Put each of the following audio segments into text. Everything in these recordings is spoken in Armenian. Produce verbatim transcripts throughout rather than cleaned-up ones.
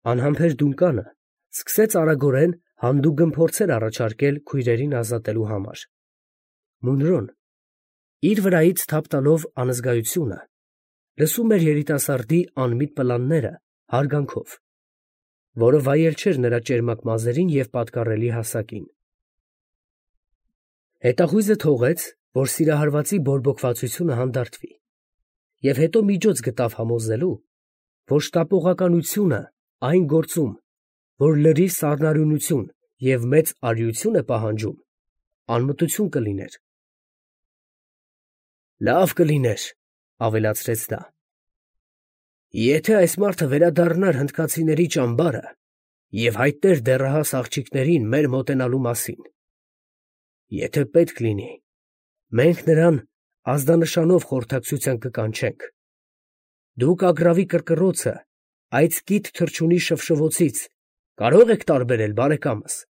Անհամբեր Դունկանը սկսեց արագորեն հանդուգն փորձեր առաջարկել քույրերին ազատելու համար. Մունրոն, իր վրայից թափ տալով անզգայությունը, լսում էր երիտասարդի անմիտ պլանները հարգանքով, որը վայել չէր նրա ճերմակ մազերին և պատկառելի հասակին։ Հետախույզը թողեց, որ սիրահարվածի բորբոքվածությունը հանդարտվի, և հետո միջոց գտավ համոզելու, որ շտապողականությունը այն գործում, որ լրիվ սառնարյունություն և մեծ արիություն է պահանջում, անմտություն կլիներ։ «Լավ կլիներ, ֊ ավելացրեց նա, ֊ եթե այս մարդը վերադառնար հնդկացիների ճամբարը և հայտներ դեռահաս աղջիկներին մեր մոտենալու մասին։ Եթե պետք լինի, մենք նրան ազդանշանով խորհրդակցության կկանչենք։ Դուք ագռավի կռկռոցը այդ կիթ թռչունի շվշվոցից կարո՞ղ եք տարբերել, բարեկամս։ ֊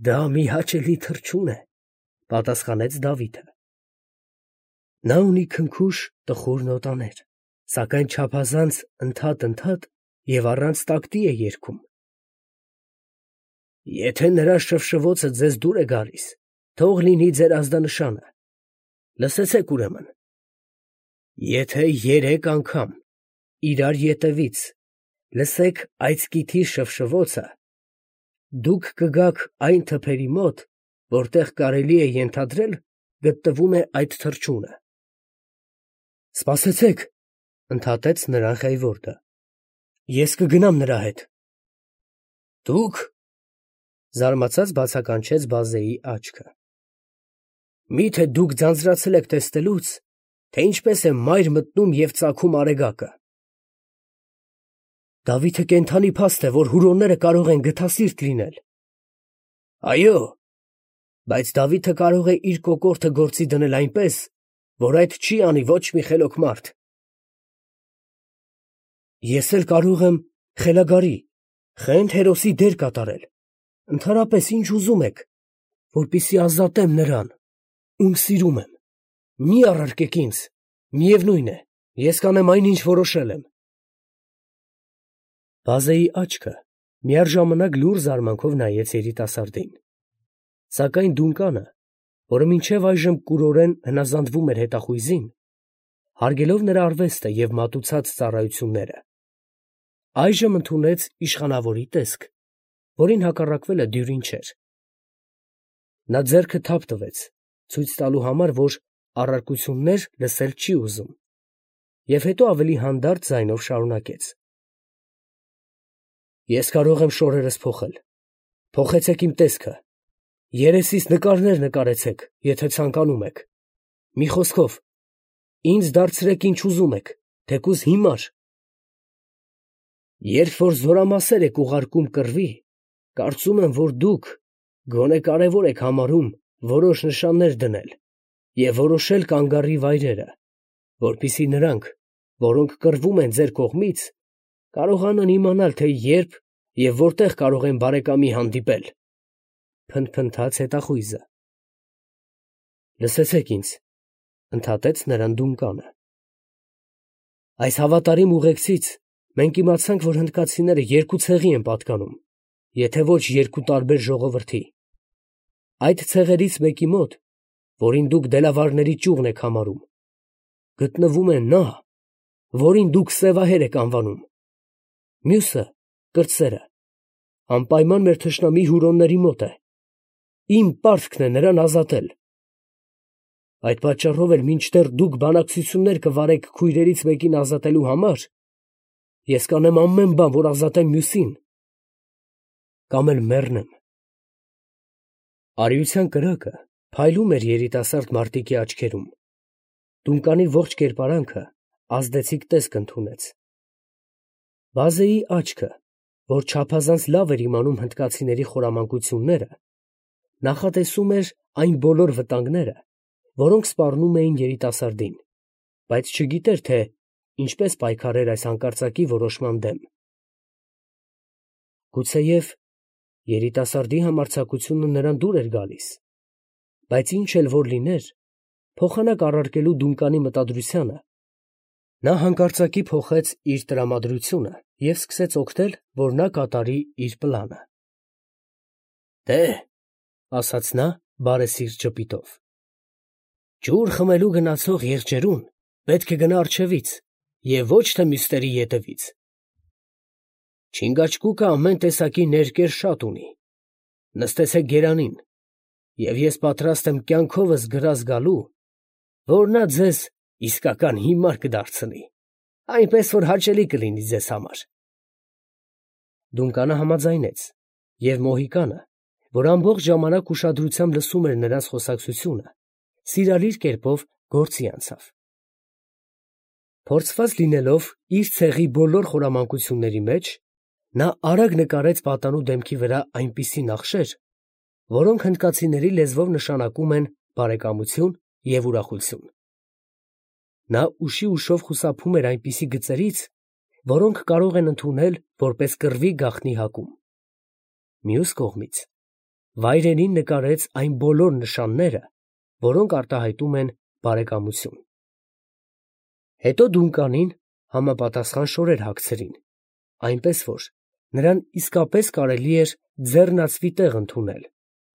Դա մի հաճելի թռչուն է, ֊ պատասխանեց Դավիթը. նա ունի քնքուշ տխուր նոտաներ, սակայն չափազանց ընդհատ֊ընդհատ և առանց տակտի է երգում։ Եթե նրա շվշվոցը ձեզ դուր է գալիս, թող լինի ձեր ազդանշանը, լսեցեք ուրեմն. եթե երեք անգամ իրար ետևից լսեք այդ կիթի շվշվոցը, դուք կգաք այն թփերի մոտ, որտեղ կարելի է ենթադրել գտնվում է այդ թռչունը։ ֊ Սպասեցեք, ֊ ընդհատեց նրան Խեյվորդը, ֊ ես կգնամ նրա հետ։ ֊ Դուք, ֊ զարմացած բացականչեց Բազեի աչքը, ֊ մի՞թե դուք ձանձրացել եք տեսնելուց, թե ինչպես է մայր մտնում և ծագում արեգակը։ Դավիթը կենդանի փաստ է, որ հուրոնները կարող են գթասիրտ լինել։ ֊ Այո, բայց Դավիթը կարող է իր կոկորդը գործի դնել այնպես, որ այդ չի անի ոչ մի խելոք մարդ։ ֊ Ես էլ կարող եմ խելագարի, խենթ հերոսի դեր կատարել, ընդհանրապես ինչ ուզում եք, որպեսզի ազատեմ նրան, ում սիրում եմ, մի առարկեք ինձ, միևնույն է, ես կանեմ այն, ինչ որոշել եմ։ Բազեի աչքը միաժամանակ լուռ զարմանքով նայեց երիտասարդին, սակայն Դունկանը, որը մինչև այժմ կուրորեն հնազանդվում էր հետախույզին, հարգելով նրա արվեստը և մատուցած ծառայությունները, այժմ ընդունեց իշխանավորի տեսք, որին հակառակվելը դյուրին չէր։ Նա ձեռքը թափ տվեց, ցույց տալու համար, որ առարկություններ լսել չի ուզում, և հետո ավելի հանդարտ ձայնով շարունակեց. Ես կարող եմ շորերս փոխել, փոխեցեք իմ տեսքը, երեսիս նկարներ նկարեցեք, եթե ցանկանում եք, մի խոսքով, ինձ դարձրեք ինչ ուզում եք, թեկուզ հիմար։ Երբ որ զորամասեր եք ուղարկում կռվի, կարծում եմ, որ դուք գոնե կարևոր եք համարում որոշ նշաններ դնել և որոշել կանգառի վայրերը, որպեսզի նրանք, որոնք կռվում են ձեր կողմից, կարողանան իմանալ, թե երբ և որտեղ կարող են բարեկամի հանդիպել, ֊ փնթփնթաց հետախույզը։ ֊ Լսեցեք ինձ, ֊ ընդհատեց նրան Դունկանը, ֊ այս հավատարիմ ուղեկցից մենք իմացանք, որ հնդկացիները երկու ցեղի են պատկանում, եթե ոչ երկու տարբեր ժողովրդի։ Այդ ցեղերից մեկի մոտ, որին դուք դելավարների ճյուղն եք համարում, գտնվում է նա, որին դուք սևահեր եք անվանում, մյուսը, կրտսերը, անպայման մեր թշնամի հուրոնների մոտ է, իմ պարտքն է նրան ազատել։ Այդ պատճառով էլ մինչդեռ դուք բանակցություններ կվարեք քույրերից մեկին ազատելու համար, ես կանեմ ամեն բան, որ ազատեմ մյուսին, կամ էլ մեռնեմ։ Արիության կրակը փայլում էր երիտասարդ մարտիկի աչքերում, Դունկանի ողջ կերպարանքը ազդեցիկ տեսք ընդունեց։ Բազեի աչքը, որ չափազանց լավ էր իմանում հնդկացիների խորամանկությունները, նախատեսում էր այն բոլոր վտանգները, որոնք սպառնում էին երիտասարդին, բայց չգիտեր, թե ինչպես պայքարեր այս հանկարծակի որոշման դեմ։ Գուցեև երիտասարդի համարձակությունը նրան դուր էր գալիս, բայց ինչ էլ որ լիներ, փոխանակ առարկելու Դունկանի մտադրությանը, նա հանկարծակի փոխեց իր տրամադրությունը և սկսեց օգնել, որ նա կատարի իր պլանը։ «Դե՛հ, ֊ ասաց նա բարեսիրտ ժպիտով, ֊ ջուր խմելու գնացող եղջերուն պետք է գնա առջևից և ոչ թե մյուսների ետևից։ Չինգաչգուկը ամեն տեսակի ներկեր շատ ունի. նստեցեք գերանին, և ես պատրաստ եմ կյանքովս գրազ գալու, որ նա ձեզ իսկական հիմար կդարձնի, այնպես որ հաճելի կլինի ձեզ համար»։ Դունկանը համաձայնեց, և Մոհիկանը, որ ամբողջ ժամանակ ուշադրությամբ լսում էր նրանց խոսակցությունը, սիրալիր կերպով գործի անցավ։ Փորձված լինելով իր ցեղի բոլոր խորամանկությունների մեջ, նա արագ նկարեց պատանու դեմքի վրա այնպիսի նախշեր, որոնք հնդկացիների լեզվով նշանակում են բարեկամություն և ուրախություն։ Նա ուշի ուշով խուսափում էր այնպիսի գծերից, որոնք կարող են ընդունել որպես կռվի գաղտնի հակում։ Մյուս կողմից, վայրենին նկարեց այն բոլոր նշանները, որոնք արտահայտում են բարեկամություն։ Հետո Դունկանին համապատասխան շորեր հագցրին, այնպես որ նրան իսկապես կարելի էր ձեռնածվի տեղ ընդունել,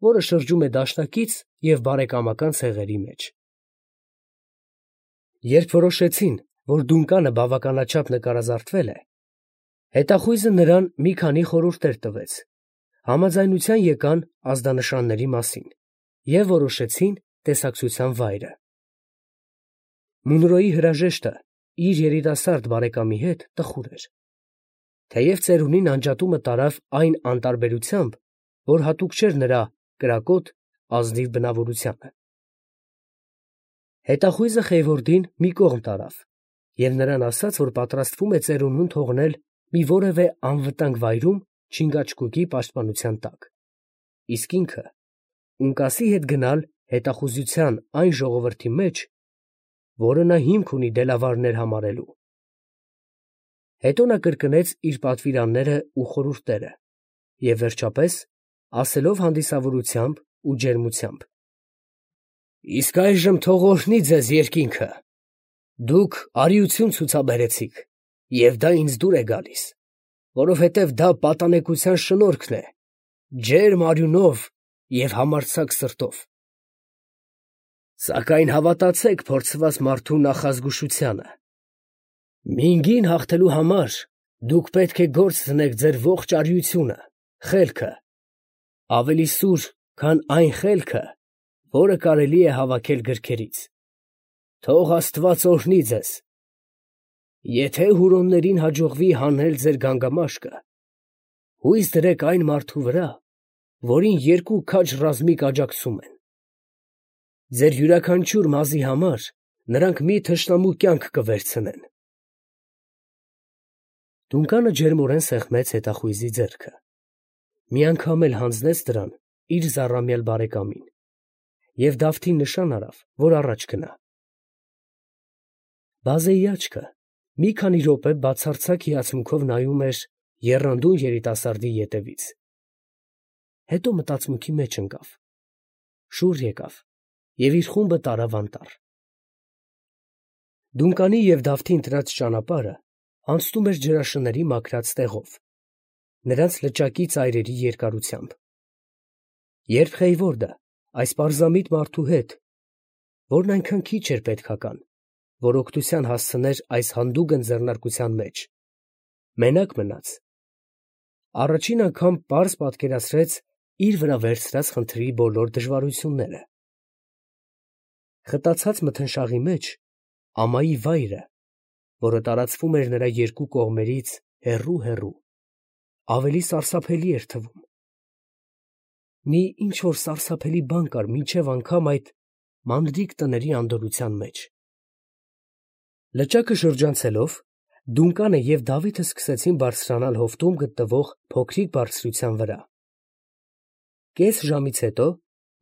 որը շրջում է դաշնակից և բարեկամական ցեղերի մեջ։ Երբ որոշեցին, որ Դունկանը բավականաչափ նկարազարդվել է, հետախույզը նրան մի քանի խորհուրդներ տվեց, համաձայնության եկան ազդանշանների մասին և որոշեցին տեսակցության վայրը։ Մունրոյի հրաժեշտը իր երիտասարդ բարեկամի հետ տխուր էր, թեև ծերունին անջատումը տարավ այն անտարբերությամբ, որ հատուկ չէր նրա կրակոտ, ազնիվ բնավորությանը։ Հետախույզը Խեյվորդին մի կողմ տարավ և նրան ասաց, որ պատրաստվում է ծերունուն թողնել մի որևէ անվտանգ վայրում Չինգաչգուկի պաշտպանության տակ, իսկ ինքը Ունկասի հետ գնալ հետախուզության այն ժողովրդի մեջ, որը նա հիմք ունի դելավարներ համարելու։ Հետո նա կրկնեց իր պատվիրանները ու խորհուրդները և վերջապես, ասելով հանդիսավորությամբ ու ջերմությամբ. «Իսկ այժմ թող օրհնի ձեզ երկինքը. դուք արիություն ցուցաբերեցիք, և դա ինձ դուր է գալիս, որովհետև դա պատանեկության շնորհքն է, ջերմ արյունով և համարձակ սրտով։ Սակայն հավատացեք փորձված մարդու նախազգուշությանը. մինգին հաղթելու համար դուք պետք է գործ դնեք ձեր ողջ արիությունը, խելքը, ավելի սուր, քան այն խելքը, որը կարելի է հավաքել գրքերից։ Թող Աստված օրհնի ձեզ։ Եթե Հուրոններին հաջողվի հանել ձեր գանգամաշկը, հույս դրեք այն մարդու վրա, որին երկու քաջ ռազմիկ աջակցում են։ Ձեր յուրաքանչյուր մազի համար նրանք մի թշնամու կյանք կվերցնեն»։ Դունկանը ջերմորեն սեղմեց հետախույզի ձեռքը, մի անգամ էլ հանձնեց դրան իր զառամյալ բարեկամին և Դավթին նշան արավ, որ առաջ գնա։ Բազեի աչքը մի քանի րոպե բացարձակ հիացմունքով նայում էր եռանդուն երիտասարդի ետևից, հետո մտածմունքի մեջ ընկավ, շուռ եկավ և իր խումբը տարավ անտառ։ Դունկանի և Դավթի ընտրած ճանապարհը անցնում էր ջրաշների մաքրած տեղով, նրանց լճակի ծայրերի երկարությամբ։ Երբ Խեյվորդը այս պարզամիտ մարդու հետ, որն այնքան քիչ էր պետքական, որ օգնության հասցներ այս հանդուգն ձեռնարկության մեջ, մենակ մնաց, առաջին անգամ պարզ պատկերացրեց իր վրա վերցրած խնդրի բոլոր դժվարությունները։ Խտացած մթնշաղի մեջ ամայի վայրը, որը տարածվում էր նրա երկու կողմերից հեռու֊հեռու, ավելի սարսափելի էր թվում։ Մի ինչ֊որ սարսափելի բան կար մինչև անգամ այդ մանրիկ տների անդորրության մեջ։ Լճակը շրջանցելով, Դունկանը և Դավիթը սկսեցին բարձրանալ հովտում գտնվող փոքրիկ բարձրության վրա։ Կես ժամից հետո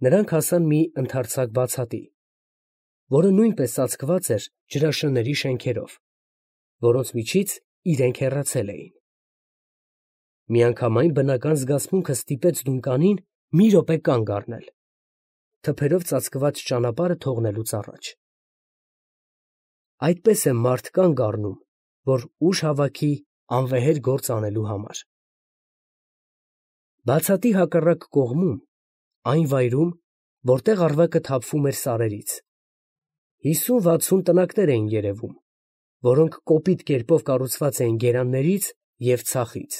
նրանք հասան մի ընդարձակ բացատի, որը նույնպես ծածկված էր ջրաշների շենքերով, որոնց միջից իրենք հեռացել էին։ Միանգամայն բնական զգացմունքը ստիպեց Դունկանին մի րոպե կանգ առնել, թփերով ծածկված ճանապարհը թողնելուց առաջ։ Այդպես է մարդ կանգ առնում, որ ուժ հավաքի անվեհեր գործ անելու համար։ Բացատի հակառակ կողմում, այն վայրում, որտեղ առվակը թափվում էր սարերից, հիսուն֊վաթսուն տնակներ էին երևում, որոնք կոպիտ կերպով կառուցված էին գերաններից և ցախից։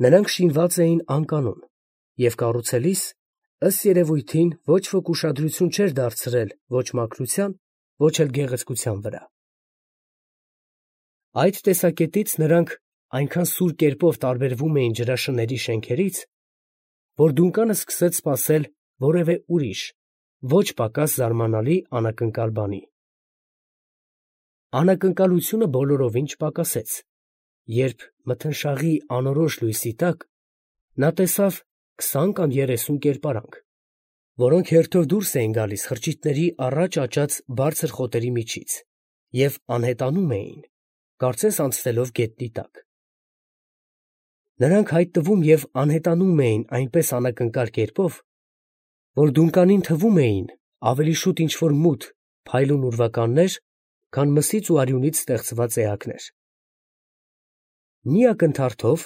Նրանք շինված էին անկանոն և կառուցելիս, ըստ երևույթին, ոչ ոք ուշադրություն չէր դարձրել ոչ մաքրության, ոչ էլ գեղեցկության վրա։ Այդ տեսակետից նրանք այնքան սուր կերպով տարբերվում էին ջրաշների շենքերից, որ Դունկանը սկսեց սպասել որևէ ուրիշ, ոչ պակաս զարմանալի անակնկալ բանի։ Անակնկալությունը բոլորովին չպակասեց, երբ մթնշաղի անորոշ լույսի տակ նա տեսավ քսան կամ երեսուն կերպարանք, որոնք հերթով դուրս էին գալիս խրճիթների առաջ աճած բարձր խոտերի միջից և անհետանում էին, կարծես անցնելով գետնի տակ։ Նրանք հայտնվում և անհետանում էին այնպես անակնկալ կերպով, որ Դունկանին թվում էին ավելի շուտ ինչ֊որ մութ, փայլուն ուրվականներ, քան մսից ու արյունից ստեղծված էակներ։ Մի ակնթարթով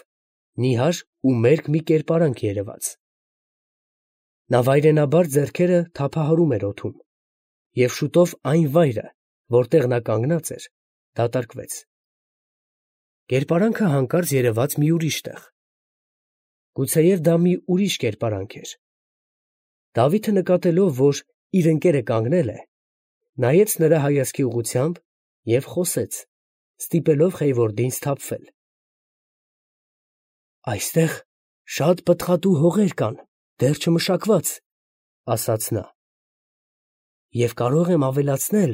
նիհար ու մերկ մի կերպարանք երևաց։ Նա վայրենաբար ձեռքերը թափահարում էր օդում, և շուտով այն վայրը, որտեղ նա կանգնած էր, դատարկվեց։ Կերպարանքը հանկարծ երևաց մի ուրիշ տեղ։ Գուցեև դա մի ուրիշ կերպարանք էր։ Դավիթը նկատելով, որ իր ընկերը կանգնել է, նայեց նրա հայացքի ուղղությամբ և խոսեց, ստիպելով Խեյվորդին սթափվել։ ֊ Այստեղ շատ պտղատու հողեր կան, դեռ չմշակված, ֊ ասաց նա, ֊ և կարող եմ ավելացնել,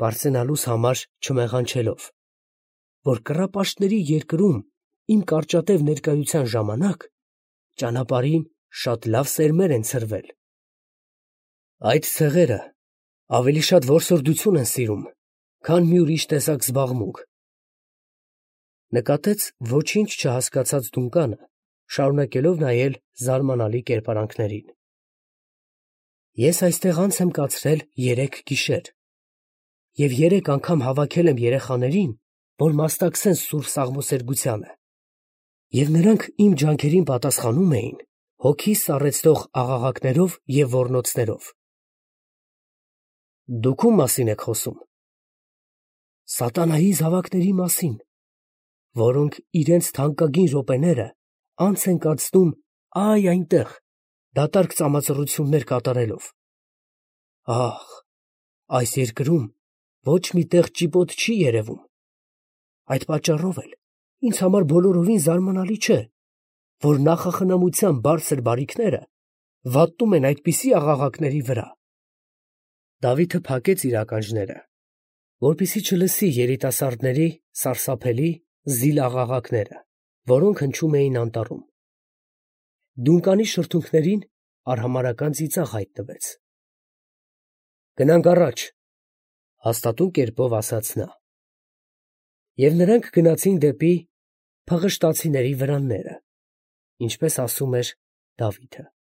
պարծենալուս համար չմեղանչելով, որ կռապաշտների երկրում իմ կարճատև ներկայության ժամանակ ճանապարհին շատ լավ սերմեր են ցրվել։ Այդ ցեղերը ավելի շատ որսորդություն են սիրում, քան մի ուրիշ տեսակ զբաղմունք։ Նկատեց ոչինչ չհասկացած Դունկանը, շարունակելով նայել զարմանալի կերպարանքներին։ Ես այստեղ անց եմ կացրել երեք գիշեր, և երեք անգամ հավաքել եմ երեխաներին, որ մասնակցեն սուրբ սաղմոսերգությանը, և նրանք իմ ջանքերին պատասխանում էին հոգիս սառեցնող աղաղակներով և ոռնոցներով։ Դուք ո՞ւմ մասին եք խոսում։ Սատանայի զավակների մասին, որոնք իրենց թանկագին րոպեները անց են կացնում ա՛յ այնտեղ, դատարկ ծամածռություններ կատարելով։ Ա՛խ, այս երկրում ոչ մի տեղ ճիպոտ չի երևում։ Այդ պատճառով էլ ինձ համար բոլորովին զարմանալի չէ, որ նախախնամության բարձր բարիքները վատնում են այդպիսի աղաղակների վրա։ Դավիթը փակեց իր ականջները, որպեսզի չլսի երիտասարդների սարսափելի, զիլ աղաղակները, որոնք հնչում էին անտառում։ Դունկանի շրթունքներին արհամարհական ծիծաղ հայտնվեց։ ֊ Գնանք առաջ, ֊ հաստատուն կերպով ասաց նա։ Եվ նրանք գնացին դեպի փղշտացիների վրանները, ինչպես ասում էր Դավիթը։